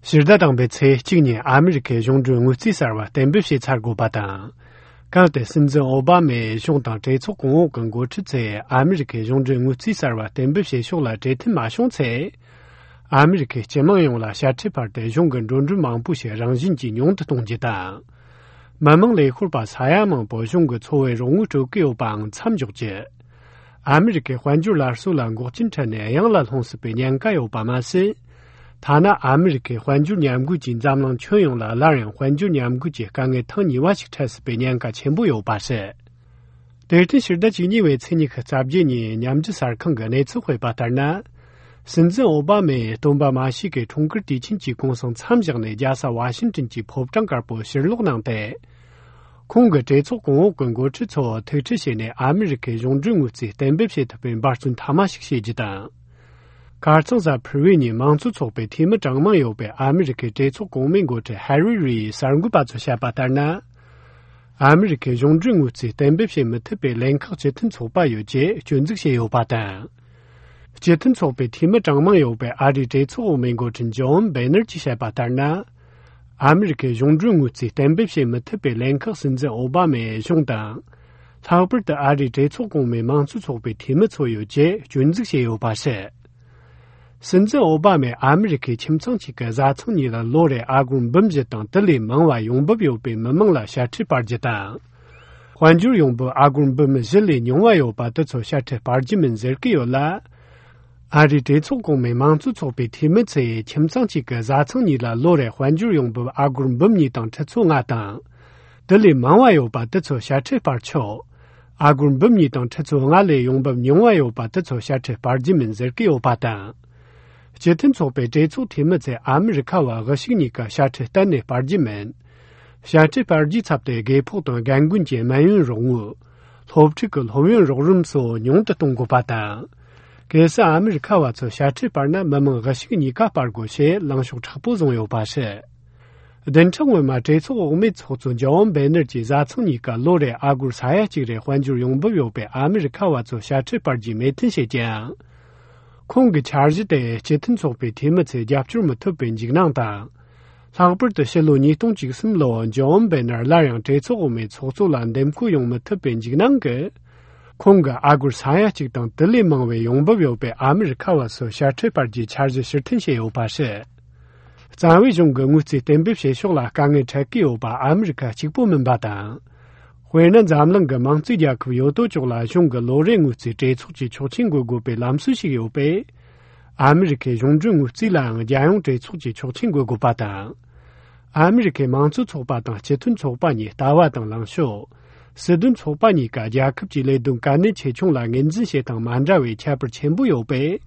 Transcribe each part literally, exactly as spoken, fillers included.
ཕྱི་ཟླ་དང་པོའི་ཚེས་གཅིག་ཉིན་ཨ་མི་རི་ཀའི་གཞུང་འབྲེལ་དངུལ་རྩིས་གསར་བ་གཏན་འབེབས་བྱས་ཚར་དགོས་པ་དང་། གལ་ཏེ་སྲིད་འཛིན་ཨོ་བྷ་མས་གཞུང་དང་གྲོས་ཚོགས་གོང་འོག་གི་འགོ་ཁྲིད་ཚོས་ཨ་མི་རི་ཀའི་གཞུང་འབྲེལ་དངུལ་རྩིས་གསར་བ་གཏན་འབེབས་བྱེད་ཕྱོགས་ལ་གྲོས་མཐུན་མ་བྱུང་ཚེ། ཨ་མི་རི་ཀའི་སྤྱི་དམངས་ཡོངས་ལ་ཞལ་འཕྲད་སྤར་ཏེ་གཞུང་གི་འགྲོ་གྲོན་མང་པོ་ཞིག་རང་བཞིན་གྱིས་ཉུང་དུ་གཏོང་རྒྱུ་དང་། མི་དམངས་ལས་ཤོར་པ་ས་ཡ་མང་པོ་གཞུང་གི་འཚོ་བའི་རོགས་དངུལ་སྤྲོད་ཀྱི་ཡོད་པའང་མཚམས་འཇོག་རྒྱུ། ཨ་མི་རི་ཀའི་དཔལ་འབྱོར་སླར་གསོ་ལ་འགོག་རྐྱེན་འཕྲད་ནས་གཡང་ལ་ལྷུང་སྲིད་པའི་ཉེན་ཁ་ཡོད་པ་མ་ཟད། ཐ་ན་ཨ་མི་རི་ཀའི་དཔལ་འབྱོར་ཉམས་རྒུད་ཀྱིས་འཛམ་གླིང་ཁྱོན་ཡོངས་ལ་སླར་ཡང་དཔལ་འབྱོར་ཉམས་རྒུད་ཀྱི་དཀའ་ངལ་ཐེངས་གཉིས་པ་ཞིག་འཕྲད་སྲིད་པའི་ཉེན་ཁ་ཆེན་པོ་ཡོད་པ་རེད། དེར་བརྟེན་ཕྱི་ཟླ་བཅུ་གཉིས་པའི་ཚེས་ཉི་ཤུ་རྩ་བརྒྱད་ཉིན་མཉམ་འབྲེལ་གསར་ཁང་གིས་གནས་ཚུལ་སྤེལ་བ་ལྟར་ན། སྲིད་འཛིན་ཨོ་བྷ་མས་སྟོན་པ་མ་ཤི་ཀའི་འཁྲུངས་སྐར་དུས་ཆེན་གྱི་གུང་སེང་མཚམས་བཞག་ནས་རྒྱལ་ས་ཝ་ཤིང་ཏོན་གྱི་ཕོ་བྲང་དཀར་པོར་ཕྱིར་ལོག་གནང་སྟེ། ཁོང་གིས་གྲོས་ཚོགས་གོང་འོག་གི་འགོ་ཁྲིད་ཚོ་ཐུག་འཕྲད་བྱས་ནས་ཨ་མི་རི་ཀའི་གཞུང་འབྲེལ་དངུལ་རྩིས་གཏན་འབེབས་བྱེད་ཐུབ་པའི་འབད་བརྩོན་མཐའ་མ་ཞིག་བྱེད་རྒྱུ་དང་། ཁ་རྩང་གཟའ་ཕུར་བུའི་ཉིན་མང་གཙོ་ཚོགས་པའི་འཐུས་མི་གྲངས་མང་ཡོད་པའི་ཨ་མི་རི་ཀའི་གྲོས་ཚོགས་གོང་མའི་འགོ་ཁྲིད་ཧེ་རི་རིས་གསར་འགོད་པ་ཚོར་བཤད་པ་ལྟར་ན། ཨ་མི་རི་ཀའི་གཞུང་འབྲེལ་དངུལ་རྩིས་གཏན་འབེབས་བྱེད་མི་ཐུབ་པའི་ལན་ཁག་སྤྱི་མཐུན་ཚོགས་པ་ཡོད་ཅེས་སྐྱོན་འཛུགས་བྱས་ཡོད་པ་དང་། སྤྱི་མཐུན་ཚོགས་པའི་འཐུས་མི་གྲངས་མང་ཡོད་པའི་ཨ་རིའི་གྲོས་ཚོགས་འོག་མའི་འགོ་ཁྲིད་ཇོན་བེ་ནར་གྱིས་བཤད་པ་ལྟར་ན། ཨ་མི་རི་ཀའི་གཞུང་འབྲེལ་དངུལ་རྩིས་གཏན་འབེབས་བྱེད་མི་ཐུབ་པའི་ལན་ཁག་སྲིད་འཛིན་ཨོ་བྷ་མའི་གཞུང་དང་། ལྷག་པར་དུ་ཨ་རིའི་གྲོས་ཚོགས་གོང་མའི་མང་གཙོ་ཚོགས་པའི་འཐུས་མི་ཚོ་ཡོད་ཅེས་སྐྱོན་འཛུགས་བྱས་ཡོད་པ་རེད། སྲིད་འཛིན་ཨོ་བྷ་མས་ཨ་མི་རི་ཀའི་ཁྱིམ་ཚང་གཅིག་གི་བཟའ་ཚང་གཉིས་ལ་ལོ་རེར་ཨ་སྒོར་འབུམ་བཞི་དང་དེ་ལས་མང་བ་ཡོང་འབབ་ཡོད་པའི་མི་མང་ལ་ཞལ་འཕྲད་སྤར་རྒྱུ་དང་། དཔལ་འབྱོར་ཡོང་འབབ་ཨ་སྒོར་འབུམ་བཞི་ལས་ཉུང་བ་ཡོད་པ་དེ་ཚོར་ཞལ་འཕྲད་སྤར་རྒྱུ་མིན་ཟེར་གྱི་ཡོད་ལ། ཨ་རིའི་གྲོས་ཚོགས་གོང་མའི་མང་གཙོ་ཚོགས་པའི་འཐུས་མི་ཚོས་ཁྱིམ་ཚང་གཅིག་གི་བཟའ་ཚང་གཉིས་ལ་ལོ་རེར་དཔལ་འབྱོར་ཡོང་འབབ་ཨ་སྒོར་འབུམ་གཉིས་དང་ཁྲི་ཚོ་ལྔ་དང་། དེ་ལས་མང་བ་ཡོད་པ་དེ་ཚོར་ཞལ་འཕྲད་སྤར་ཆོག་ཨ་སྒོར་འབུམ་གཉིས་དང་ཁྲི་ཚོ་ལྔ་ལས་ཡོང་འབབ་ཉུང་བ་ཡོད་པ་དེ་ཚོར་ཞལ་འཕྲད་སྤར་རྒྱུ་མིན་ཟེར་གྱི་ཡོད་པ་དང་། སྤྱི་མཐུན་ཚོགས་པའི་གྲོས་ཚོགས་འཐུས་མི་ཚོས་ཨ་མི་རི་ཁ་བ་དབུ་ཞུགས་གཉིས་ཀ་ཞལ་འཕྲད་གཏན་ནས་སྤར་རྒྱུ་མིན། ཞལ་འཕྲད་སྤར་རྒྱུའི་ཚབ་ཏུ་རྒས་ཕོགས་དང་རྒན་རྒོན་གྱི་སྨན་ཡོན་རོགས་དངུལ། སློབ་ཕྲུག་གི་སློབ་ཡོན་རོགས་རམ་སོགས་ཉུང་དུ་གཏོང་དགོས་པ་དང་། གལ་སྲིད་ཨ་མི་རི་ཁ་བ་ཚོས་ཞལ་འཕྲད་སྤར་ན་མི་མང་དབུ་ཞུགས་གཉིས་ཀ་སྤར་དགོས་ཞེས་ལངས་ཕྱོགས་མཁྲེགས་པོ་བཟུང་ཡོད་པ་རེད། བདུན་ཕྲག་སྔོན་མ་གྲོས་ཚོགས་འོག་མའི་ཚོགས་གཙོ་ཇོན་བེ་ནར་གྱིས་བཟའ་ཚང་གཉིས་ཀ་ལོ་རེར་ཨ་སྒོར་ས་ཡ་གཅིག་རེ་དཔལ་འབྱོར་ཡོང་འབབ་ཡོད་པའི་ཨ་མི་རི་ཁ་བ་ཚོར་ཞལ་འཕྲད་སྤར་རྒྱུའི་མོས་མཐུན་བྱེད་ཀྱང་། ཁོང་གི་འཆར་གཞི་དེ་སྤྱི་མཐུན་ཚོགས་པའི་འཐུས་མི་ཚོས་རྒྱབ་སྐྱོར་མི་ཐུབ་པའི་འཇིགས་སྣང་དང་། ལྷག་པར་དུ་ཕྱི་ལོ་ཉིས་སྟོང་བཅུ་གསུམ་ལོར་ཇོན་བེ་ནར་སླར་ཡང་གྲོས་ཚོགས་འོག་མའི་ཚོགས་གཙོ་ལ་འདེམས་བསྐོ་ཡོང་མི་ཐུབ་པའི་འཇིགས་སྣང་གིས། ཁོང་གིས་ཨ་སྒོར་ས་ཡ་གཅིག་དང་དེ་ལས་མང་བའི་ཡོང་འབབ་ཡོད་པའི་ཨ་མི་རི་ཁ་བ་ཚོར་ཞལ་འཕྲད་སྤར་རྒྱུའི་འཆར་གཞི་ཕྱིར་འཐེན་བྱས་ཡོད་པ་རེད། རྩ་བའི་གཞུང་གི་དངུལ་རྩིས་གཏན་འབེབས་བྱེད་ཕྱོགས་ལ་དཀའ་ངལ་འཕྲད་ཀྱི་ཡོད་པ་ཨ་མི་རི་ཁ་གཅིག་པུ་མིན་པ་དང་། དཔེར་ན་འཛམ་གླིང་གི་མང་གཙོའི་རྒྱལ་ཁབ་ཡོད་དོ་ཅོག་ལ་གཞུང་གི་ལོ་རེའི་དངུལ་རྩིས་གྲོས་ཚོགས་ཀྱི་ཆོག་མཆན་འགོད་དགོས་པའི་ལམ་སྲོལ་ཞིག་ཡོད་པས། ཨ་མི་རི་ཁའི་གཞུང་འབྲེལ་དངུལ་རྩིས་ལའང་རྒྱལ་ཡོངས་གྲོས་ཚོགས་ཀྱི་ཆོག་མཆན་འགོད་དགོས་པ་དང་། ཨ་མི་རི་ཁའི་མང་གཙོ་ཚོགས་པ་དང་སྤྱི་མཐུན་ཚོགས་པ་གཉིས་ལྟ་བ་དང་ལངས་ཕྱོགས། སྲིད་དོན་ཚོགས་པ་གཉིས་ཀ་རྒྱལ་ཁབ་ཀྱི་ལས་དོན་གལ་གནད་ཆེ་ཆུང་ལ་ངོས་འཛིན་བྱེད་སྟངས་མ་འདྲ་བའི་ཁྱད་པར་ཆེན་པོ་ཡོད་པས།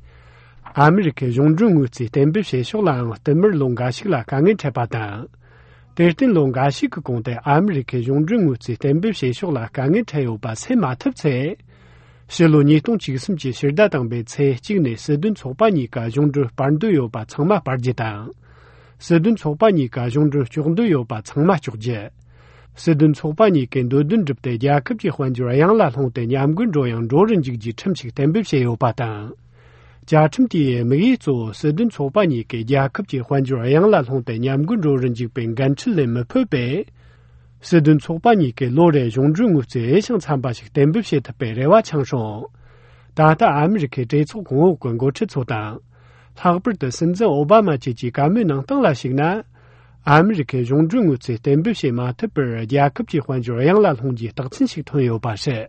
ཨ་མི་རི་ཁའི་གཞུང་འབྲེལ་དངུལ་རྩིས་གཏན་འབེབས་བྱེད་ཕྱོགས་ལའང་བསྟུད་མར་ལོ་འགའ་ཞིག་ལ་དཀའ་ངལ་འཕྲད་པ་དང་། དེར་བརྟེན་ལོ་འགའ་ཞིག་གི་གོང་དུ་ཨ་མི་རི་ཁའི་གཞུང་འབྲེལ་དངུལ་རྩིས་གཏན་འབེབས་བྱེད་ཕྱོགས་ལ་དཀའ་ངལ་འཕྲད་ཡོད་པ་སེལ་མ་ཐུབ་ཚེ། ཕྱི་ལོ་ཉིས་སྟོང་བཅུ་གསུམ་གྱི་ཕྱི་ཟླ་དང་པོའི་ཚེས་གཅིག་ནས་སྲིད་དོན་ཚོགས་པ་གཉིས་ཀ་གཞུང་འབྲེལ་སྤར་འདོད་ཡོད་པ་ཚང་མ་སྤར་རྒྱུ་དང་། སྲིད་དོན་ཚོགས་པ་གཉིས་ཀ་གཞུང་འབྲེལ་གཅོག་འདོད་ཡོད་པ་ཚང་མ་གཅོག་རྒྱུ། སྲིད་དོན་ཚོགས་པ་གཉིས་ཀའི་འདོད་འདུན་བསྒྲུབས་ཏེ་རྒྱལ་ཁབ་ཀྱི་དཔལ་འབྱོར་གཡང་ལ་ལྷུང་སྟེ་ཉམས་རྒུད་འགྲོ་ཡང་འགྲོ་རུ་འཇུག་རྒྱུའི་ཁྲིམས་ཤིག་གཏན་འབེབས་བྱས་ཡོད་པ་དང་། བཅའ་ཁྲིམས་དེའི་དམིགས་ཡུལ་གཙོ་བོ་སྲིད་དོན་ཚོགས་པ་གཉིས་ཀས་རྒྱལ་ཁབ་ཀྱི་དཔལ་འབྱོར་གཡང་ལ་ལྷུང་སྟེ་ཉམས་རྒུད་འགྲོ་རུ་འཇུག་པའི་འགན་འཁྲི་ལེན་མི་ཕོད་པས། སྲིད་དོན་ཚོགས་པ་གཉིས་ཀས་ལོ་རེའི་གཞུང་འབྲེལ་དངུལ་རྩིས་འོས་ཤིང་འཚམ་པ་ཞིག་གཏན་འབེབས་བྱེད་ཐུབ་པའི་རེ་བ་འཆང་སོང་། ད་ལྟ་ཨ་མི་རི་ཁའི་གྲོས་ཚོགས་གོང་འོག་གི་འགོ་ཁྲིད་ཚོ་དང་། ལྷག་པར་དུ་སྲིད་འཛིན་ཨོ་བྷ་མ་བཅས་ཀྱི་བཀའ་མོལ་ནང་སྟངས་ལ་གཞིགས་ན། ཨ་མི་རི་ཁའི་གཞུང་འབྲེལ་དངུལ་རྩིས་གཏན་འབེབས་བྱེད་མ་ཐུབ་པར་རྒྱལ་ཁབ་ཀྱི་དཔལ་འབྱོར་གཡང་ལ་ལྷུང་རྒྱུའི་རྟགས་མཚན་ཞིག་ཐོན་ཡོད་པ་རེད།